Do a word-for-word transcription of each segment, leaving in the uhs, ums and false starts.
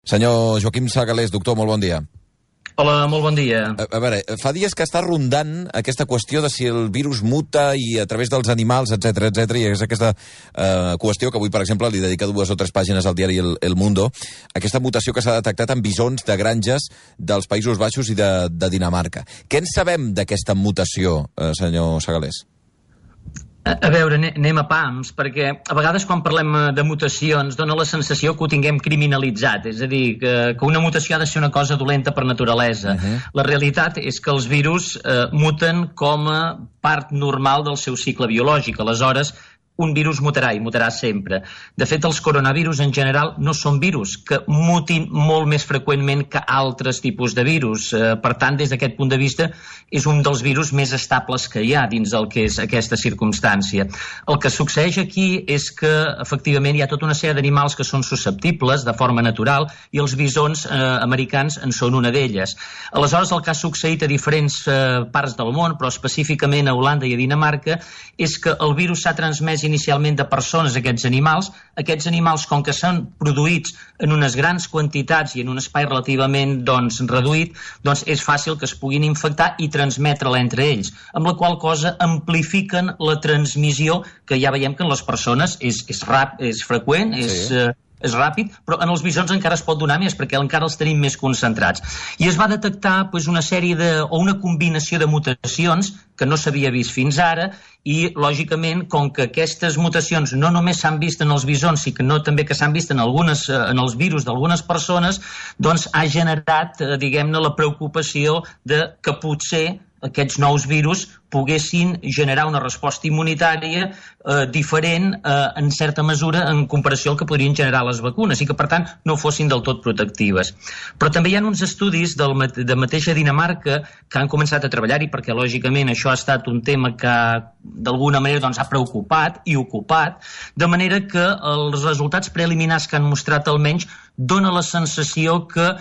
Senyor Joaquim Sagalés, doctor, molt bon dia. Hola, molt bon dia. A, a veure, fa dies que està rondant aquesta qüestió de si el virus muta i a través dels animals, etcètera, etcètera, i és aquesta eh, qüestió que avui, per exemple, li dedica dues o tres pàgines al diari El, El Mundo, aquesta mutació que s'ha detectat en bisons de granges dels Països Baixos i de, de Dinamarca. Què en sabem d'aquesta mutació, eh, senyor Sagalés? A veure, anem a pams, perquè a vegades quan parlem de mutacions dona la sensació que ho tinguem criminalitzat, és a dir, que, que una mutació ha de ser una cosa dolenta per naturalesa. Uh-huh. La realitat és que els virus eh, muten com a part normal del seu cicle biològic, aleshores un virus mutarà i mutarà sempre. De fet, els coronavirus en general no són virus, que mutin molt més freqüentment que altres tipus de virus. Eh, per tant, des d'aquest punt de vista, és un dels virus més estables que hi ha dins del que és aquesta circumstància. El que succeeix aquí és que, efectivament, hi ha tota una sèrie d'animals que són susceptibles de forma natural i els bisons eh, americans en són una d'elles. Aleshores, el que ha succeït a diferents eh, parts del món, però específicament a Holanda i a Dinamarca, és que el virus s'ha transmès inicialment de persones a aquests animals. Aquests animals, com que s'han produïts en unes grans quantitats i en un espai relativament doncs, reduït, doncs és fàcil que es puguin infectar i transmetre-la entre ells, amb la qual cosa amplifiquen la transmissió, que ja veiem que en les persones és, és, rap, és freqüent, és... Sí. Eh, és ràpid, però en els bisons encara es pot donar més perquè encara els tenim més concentrats. I es va detectar doncs, una sèrie de, o una combinació de mutacions que no s'havia vist fins ara i, lògicament, com que aquestes mutacions no només s'han vist en els bisons, sinó també que s'han vist en, algunes, en els virus d'algunes persones, doncs ha generat, diguem-ne, la preocupació de que potser aquests nous virus poguessin generar una resposta immunitària eh, diferent eh, en certa mesura en comparació al que podrien generar les vacunes i que, per tant, no fossin del tot protectives. Però també hi ha uns estudis del, de mateixa Dinamarca que han començat a treballar-hi perquè, lògicament, això ha estat un tema que d'alguna manera doncs, ha preocupat i ocupat, de manera que els resultats preliminars que han mostrat almenys dona la sensació que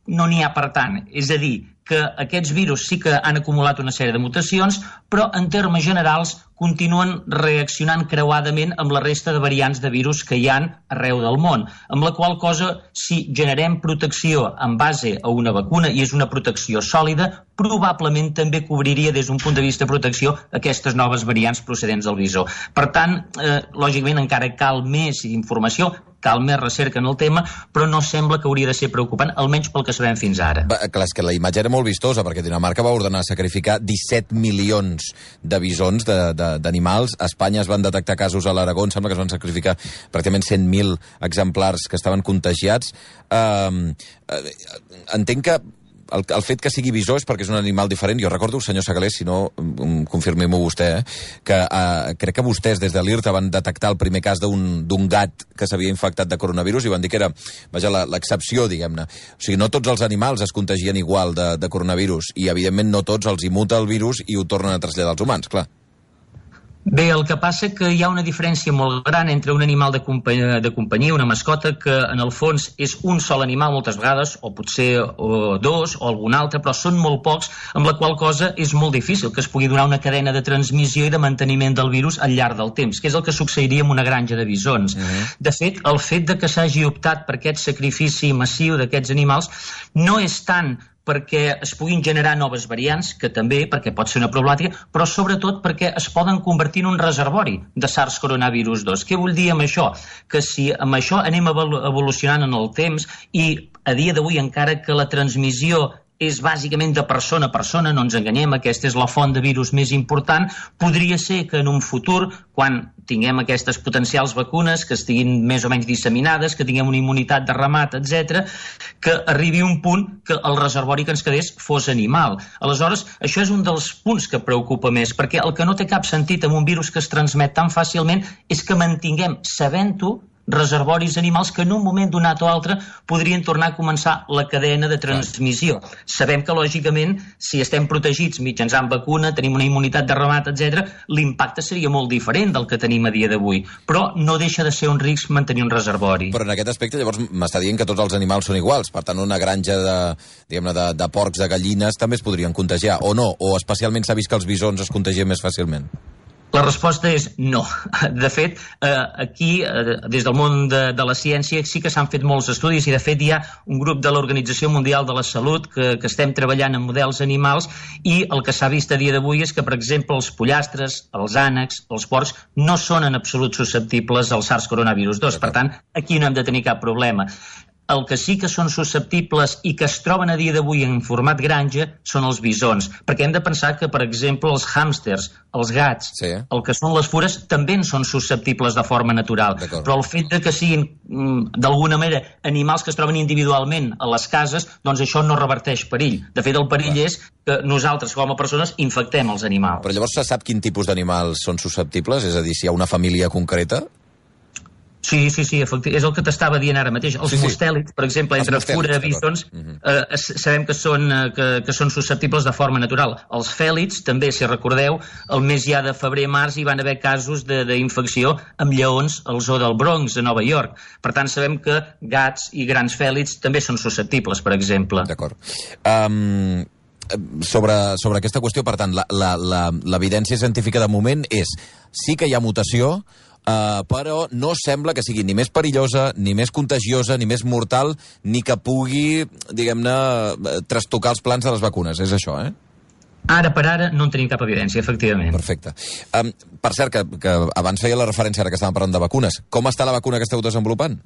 no n'hi ha per tant. És a dir, que aquests virus sí que han acumulat una sèrie de mutacions, però en termes generals continuen reaccionant creuadament amb la resta de variants de virus que hi ha arreu del món, amb la qual cosa, si generem protecció en base a una vacuna i és una protecció sòlida, probablement també cobriria des d'un punt de vista de protecció aquestes noves variants procedents del visó. Per tant, eh, lògicament encara cal més informació, cal més recerca en el tema, però no sembla que hauria de ser preocupant, almenys pel que sabem fins ara. Va, clar, és que la imatge era molt vistosa, perquè Dinamarca va ordenar sacrificar disset milions de bisons, d'animals. A Espanya es van detectar casos a l'Aragó, em sembla que es van sacrificar pràcticament cent mil exemplars que estaven contagiats. Uh, entenc que El, el fet que sigui bisó és perquè és un animal diferent. Jo recordo, senyor Sagalés, si no, um, confirmi-m'ho vostè, eh, que uh, crec que vostès des de l'I R T A van detectar el primer cas d'un gat que s'havia infectat de coronavirus i van dir que era, vaja, l'excepció, diguem-ne. O sigui, no tots els animals es contagien igual de, de coronavirus i, evidentment, no tots els immuta el virus i ho tornen a traslladar als humans, clar. Bé, el que passa que hi ha una diferència molt gran entre un animal de companyia, de companyia, una mascota, que en el fons és un sol animal moltes vegades, o potser o dos, o algun altre, però són molt pocs, amb la qual cosa és molt difícil que es pugui donar una cadena de transmissió i de manteniment del virus al llarg del temps, que és el que succeiria en una granja de bisons. Uh-huh. De fet, el fet de que s'hagi optat per aquest sacrifici massiu d'aquests animals no és tant perquè es puguin generar noves variants, que també, perquè pot ser una problemàtica, però sobretot perquè es poden convertir en un reservori de SARS coronavirus dos. Què vull dir amb això? Que si amb això anem evolucionant en el temps i a dia d'avui encara que la transmissió és bàsicament de persona a persona, no ens enganyem, aquesta és la font de virus més important, podria ser que en un futur, quan tinguem aquestes potencials vacunes que estiguin més o menys disseminades, que tinguem una immunitat de ramat, etcètera, que arribi un punt que el reservori que ens quedés fos animal. Aleshores, això és un dels punts que preocupa més, perquè el que no té cap sentit amb un virus que es transmet tan fàcilment és que mantinguem, sabent-ho, reservoris animals que en un moment donat o altre podrien tornar a començar la cadena de transmissió. Sabem que, lògicament, si estem protegits mitjançant vacuna, tenim una immunitat de ramat, etcètera, l'impacte seria molt diferent del que tenim a dia d'avui. Però no deixa de ser un risc mantenir un reservori. Però en aquest aspecte, llavors, m'està dient que tots els animals són iguals. Per tant, una granja de, diguem-ne, de, de porcs, de gallines, també es podrien contagiar, o no? O especialment s'ha vist que els bisons es contagien més fàcilment? La resposta és no. De fet, aquí, des del món de, de la ciència, sí que s'han fet molts estudis i, de fet, hi ha un grup de l'Organització Mundial de la Salut que, que estem treballant en models animals i el que s'ha vist a dia d'avui és que, per exemple, els pollastres, els ànecs, els porcs, no són en absolut susceptibles al SARS coronavirus dos. Per tant, aquí no hem de tenir cap problema. El que sí que són susceptibles i que es troben a dia d'avui en format granja són els bisons, perquè hem de pensar que, per exemple, els hàmsters, els gats, sí. el que són les fures, també en són susceptibles de forma natural. Però el fet de que siguin, d'alguna manera, animals que es troben individualment a les cases, doncs això no reverteix perill. De fet, el perill Clar. és que nosaltres, com a persones, infectem els animals. Però llavors se sap quin tipus d'animals són susceptibles? És a dir, si hi ha una família concreta? Sí, sí, sí, és el que t'estava dient ara mateix. Els sí, sí. mustèlids, per exemple, entre fura i bisons, uh-huh. eh, sabem que són, eh, que, que són susceptibles de forma natural. Els fèlids, també, si recordeu, el mes ja de febrer-març hi van haver casos d'infecció amb lleons al zoo del Bronx, a Nova York. Per tant, sabem que gats i grans fèlids també són susceptibles, per exemple. D'acord. Um... Sobre, sobre aquesta qüestió, per tant, l'evidència científica de moment és sí que hi ha mutació, Uh, però no sembla que sigui ni més perillosa, ni més contagiosa, ni més mortal, ni que pugui, diguem-ne, trastocar els plans de les vacunes. És això, eh? Ara per ara no en tenim cap evidència, efectivament. Perfecte. Um, per cert, que, que abans feia la referència, ara que estàvem parlant de vacunes. Com està la vacuna que esteu desenvolupant?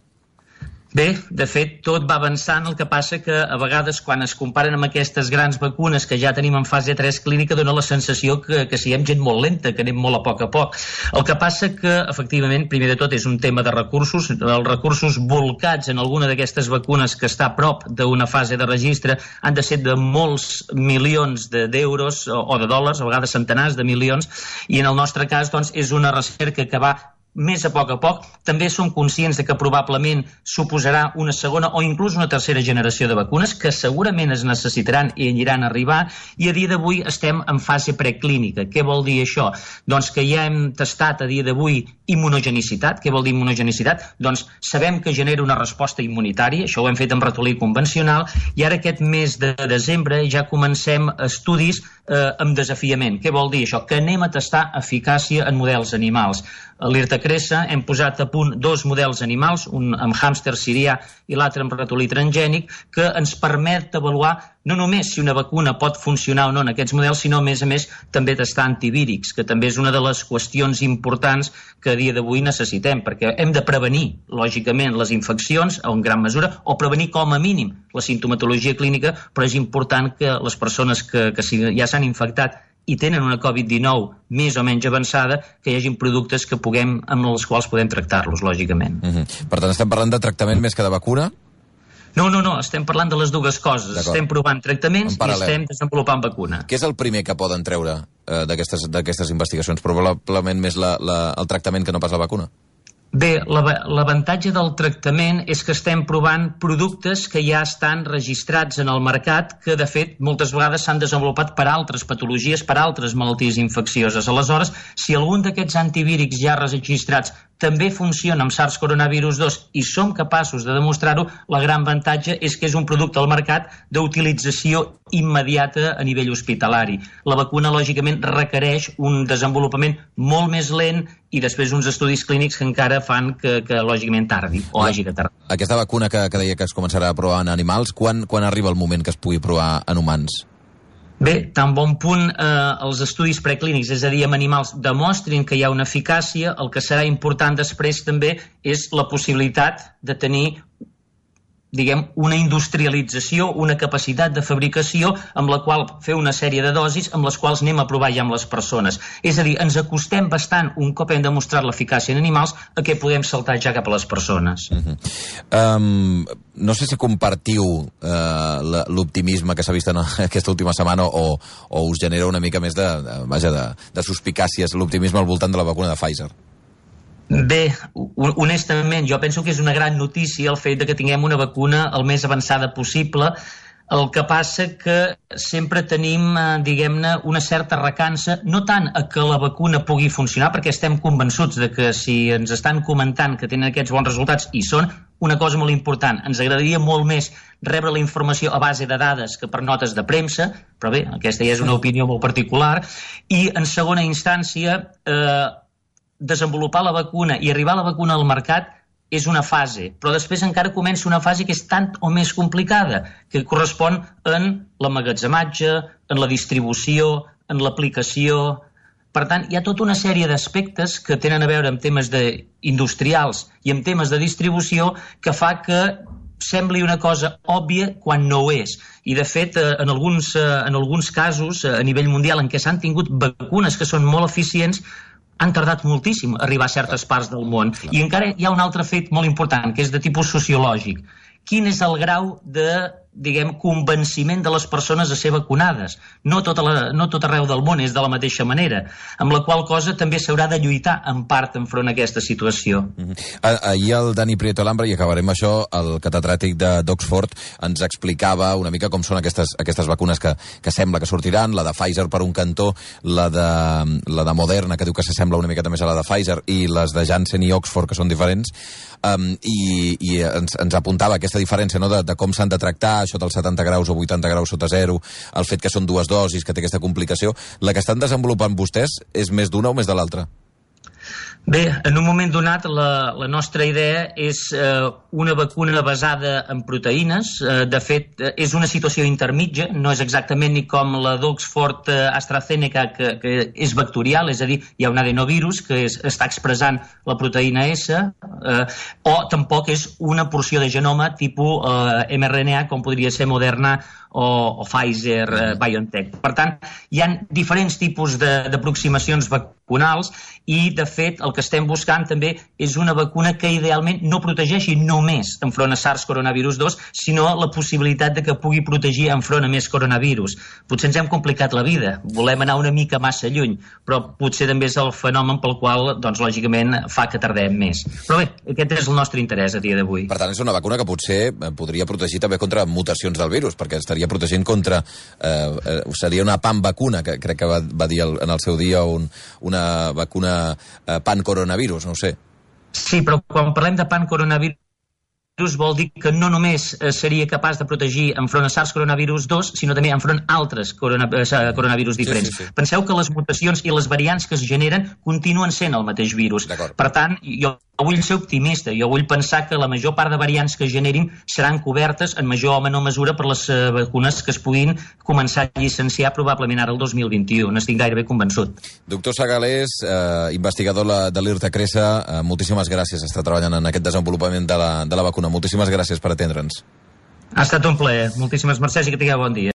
Bé, de fet, tot va avançant, el que passa que a vegades quan es comparen amb aquestes grans vacunes que ja tenim en fase tres clínica dona la sensació que, que siguem gent molt lenta, que anem molt a poc a poc. El que passa que, efectivament, primer de tot és un tema de recursos. Els recursos volcats en alguna d'aquestes vacunes que està a prop d'una fase de registre han de ser de molts milions d'euros o, o de dòlars, a vegades centenars de milions, i en el nostre cas doncs, és una recerca que va més a poc a poc. També som conscients de que probablement suposarà una segona o inclús una tercera generació de vacunes que segurament es necessitaran i aniran a arribar, i a dia d'avui estem en fase preclínica. Què vol dir això? Doncs que ja hem tastat a dia d'avui immunogenicitat. Què vol dir immunogenicitat? Doncs sabem que genera una resposta immunitària, això ho hem fet amb ratolí convencional, i ara aquest mes de desembre ja comencem estudis eh, amb desafiament. Què vol dir això? Que anem a tastar eficàcia en models animals. A l'Irtacressa hem posat a punt dos models animals, un amb hàmster sirià i l'altre amb ratolí transgènic, que ens permet avaluar no només si una vacuna pot funcionar o no en aquests models, sinó, a més a més, també tastar antivírics, que també és una de les qüestions importants que a dia d'avui necessitem, perquè hem de prevenir, lògicament, les infeccions, en gran mesura, o prevenir com a mínim la simptomatologia clínica, però és important que les persones que, que ja s'han infectat i tenen una covid dinou més o menys avançada, que hi hagin productes que puguem, amb els quals podem tractar-los, lògicament. Mm-hmm. Per tant, estem parlant de tractament més que de vacuna? No, no, no, estem parlant de les dues coses. Estem provant tractaments i estem desenvolupant vacuna. Què és el primer que poden treure eh, d'aquestes investigacions? Probablement més la, la, el tractament que no pas la vacuna? Bé, l'avantatge del tractament és que estem provant productes que ja estan registrats en el mercat, que de fet moltes vegades s'han desenvolupat per altres patologies, per altres malalties infeccioses. Aleshores, si algun d'aquests antivírics ja registrats també funciona amb SARS coronavirus dos i som capaços de demostrar-ho, la gran avantatge és que és un producte al mercat d'utilització immediata a nivell hospitalari. La vacuna, lògicament, requereix un desenvolupament molt més lent i després uns estudis clínics que encara fan que, que lògicament, tardi o hagi de tardar. Aquesta vacuna que, que deia que es començarà a provar en animals, quan, quan arriba el moment que es pugui provar en humans? Bé, tan bon punt eh, els estudis preclínics, és a dir, amb animals, demostrin que hi ha una eficàcia, el que serà important després també és la possibilitat de tenir, diguem, una industrialització, una capacitat de fabricació amb la qual fer una sèrie de dosis amb les quals anem a provar ja amb les persones. És a dir, ens acostem bastant, un cop hem demostrat l'eficàcia en animals, a què podem saltar ja cap a les persones. Uh-huh. um, no sé si compartiu uh, l'optimisme que s'ha vist en aquesta última setmana o, o us genera una mica més de, de, vaja, de, de suspicàcies l'optimisme al voltant de la vacuna de Pfizer. Bé, honestament, jo penso que és una gran notícia el fet de que tinguem una vacuna el més avançada possible. El que passa que sempre tenim, diguem-ne, una certa recança, no tant a que la vacuna pugui funcionar, perquè estem convençuts de que si ens estan comentant que tenen aquests bons resultats, i són una cosa molt important, ens agradaria molt més rebre la informació a base de dades que per notes de premsa, però bé, aquesta ja és una opinió molt particular, i en segona instància eh, desenvolupar la vacuna i arribar a la vacuna al mercat és una fase, però després encara comença una fase que és tant o més complicada, que correspon en l'emmagatzematge, en la distribució, en l'aplicació. Per tant, hi ha tota una sèrie d'aspectes que tenen a veure amb temes de industrials i amb temes de distribució que fa que sembli una cosa òbvia quan no ho és. I, de fet, en alguns, en alguns casos, a nivell mundial, en què s'han tingut vacunes que són molt eficients, han tardat moltíssim a arribar a certes parts del món. I encara hi ha un altre fet molt important, que és de tipus sociològic. Quin és el grau de, diguem, convenciment de les persones a ser vacunades? No tot, la, no tot arreu del món és de la mateixa manera, amb la qual cosa també s'haurà de lluitar en part enfront a aquesta situació. Mm-hmm. Ahir el Dani Prieto Alhambra, i acabarem això, el catedràtic d'Oxford ens explicava una mica com són aquestes, aquestes vacunes que, que sembla que sortiran, la de Pfizer per un cantó, la de, la de Moderna, que diu que s'assembla una miqueta més a la de Pfizer, i les de Janssen i Oxford, que són diferents, um, i, i ens, ens apuntava aquesta diferència, no?, de, de com s'han de tractar, això dels setanta graus o vuitanta graus sota zero, el fet que són dues dosis, que té aquesta complicació. La que estan desenvolupant vostès és més d'una o més de l'altra? Bé, en un moment donat la, la nostra idea és eh, una vacuna basada en proteïnes. Eh, de fet, eh, és una situació intermitja, no és exactament ni com la d'Oxford eh, AstraZeneca, que, que és vectorial, és a dir, hi ha un adenovirus que és, està expressant la proteïna S, eh, o tampoc és una porció de genoma tipus eh, mRNA, com podria ser Moderna o, o Pfizer, eh, BioNTech. Per tant, hi ha diferents tipus d'aproximacions vacunals i, de fet, el que estem buscant també és una vacuna que idealment no protegeixi només enfront a SARS coronavirus dos, sinó la possibilitat de que pugui protegir enfront a més coronavirus. Potser ens hem complicat la vida, volem anar una mica massa lluny, però potser també és el fenomen pel qual, doncs, lògicament, fa que tardem més. Però bé, aquest és el nostre interès a dia d'avui. Per tant, és una vacuna que potser podria protegir també contra mutacions del virus, perquè estaria protegint contra... Eh, seria una pan-vacuna, que crec que va, va dir el, en el seu dia un, una vacuna eh, pan-coronavirus, no ho sé. Sí, però quan parlem de pan-coronavirus vol dir que no només seria capaç de protegir enfront a SARS coronavirus dos, sinó també enfront a altres corona, coronavirus diferents. Sí, sí, sí. Penseu que les mutacions i les variants que es generen continuen sent el mateix virus. Per tant, jo vull ser optimista, jo vull pensar que la major part de variants que es generin seran cobertes en major o menor mesura per les vacunes que es puguin començar a llicenciar probablement ara el dos mil vint-i-u. N'estic gairebé convençut. Doctor Segalés, eh, investigador de l'IRTA Cresa, eh, moltíssimes gràcies. Està treballant en aquest desenvolupament de la, de la vacuna. Moltíssimes gràcies per atendre'ns. Ha estat un plaer. Moltíssimes mercès i que tingueu bon dia.